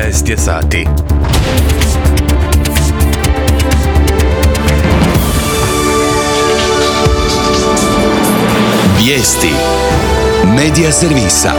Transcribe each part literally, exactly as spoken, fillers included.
trinaest je sati. Vijesti Medija servisa.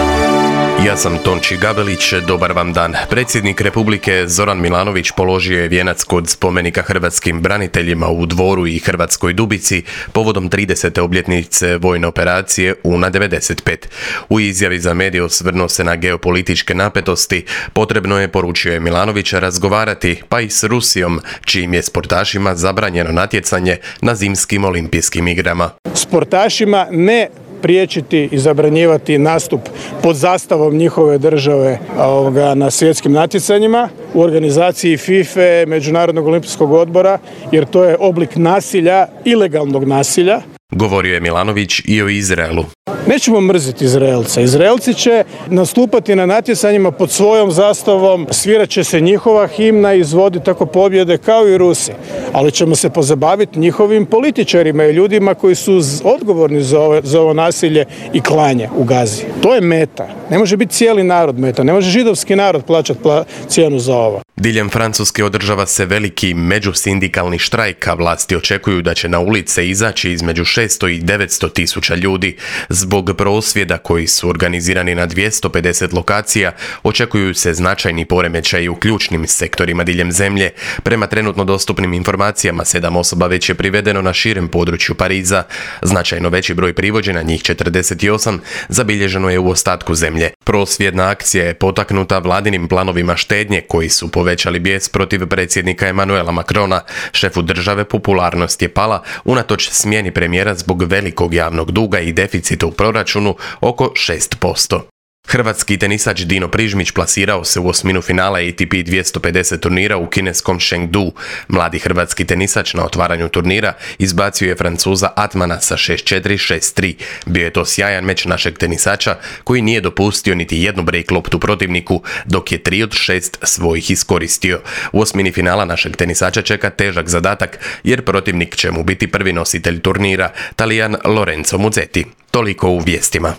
Ja sam Tonči Gabelić, dobar vam dan. Predsjednik Republike Zoran Milanović položio je vijenac kod spomenika hrvatskim braniteljima u Dvoru i Hrvatskoj Dubici povodom tridesete obljetnice vojne operacije Una devedeset pet. U izjavi za medije osvrnuo se na geopolitičke napetosti. Potrebno je, poručio je Milanović, razgovarati pa i s Rusijom, čijim je sportašima zabranjeno natjecanje na zimskim olimpijskim igrama. Sportašima ne priječiti i zabranjivati nastup pod zastavom njihove države ovoga, na svjetskim natjecanjima u organizaciji FIFA, Međunarodnog olimpijskog odbora, jer to je oblik nasilja, ilegalnog nasilja. Govorio je Milanović i o Izraelu. Nećemo mrziti Izraelce. Izraelci će nastupati na natjecanjima pod svojom zastavom, svirat će se njihova himna i izvoditi tako pobjede kao i Rusi. Ali ćemo se pozabaviti njihovim političarima i ljudima koji su odgovorni za ovo, za ovo nasilje i klanje u Gazi. To je meta. Ne može biti cijeli narod meta. Ne može židovski narod plaćati pla- cijenu za ovo. Diljem Francuske održava se veliki međusindikalni štrajk, a vlasti očekuju da će na ulice izaći između šesto i devetsto tisuća ljudi. Zbog prosvjeda koji su organizirani na dvjesto pedeset lokacija, očekuju se značajni poremećaji u ključnim sektorima diljem zemlje. Prema trenutno dostupnim informacijama, sedam osoba već je privedeno na širem području Pariza. Značajno veći broj privođena, njih četrdeset osam, zabilježeno je u ostatku zemlje. Prosvjedna akcija je potaknuta vladinim planovima štednje koji su povećali bijes protiv predsjednika Emanuela Macrona. Šefu države popularnost je pala unatoč smjeni premijera zbog velikog javnog duga i deficita u proračunu oko šest posto. Hrvatski tenisač Dino Prižmić plasirao se u osminu finala A T P dvjesto pedeset turnira u kineskom Chengdu. Mladi hrvatski tenisač na otvaranju turnira izbacio je Francuza Atmana sa šest četiri šest tri. Bio je to sjajan meč našeg tenisača koji nije dopustio niti jednu break loptu protivniku, dok je tri od šest svojih iskoristio. U osmini finala našeg tenisača čeka težak zadatak jer protivnik će mu biti prvi nositelj turnira, Talijan Lorenzo Muzetti. Toliko u vijestima.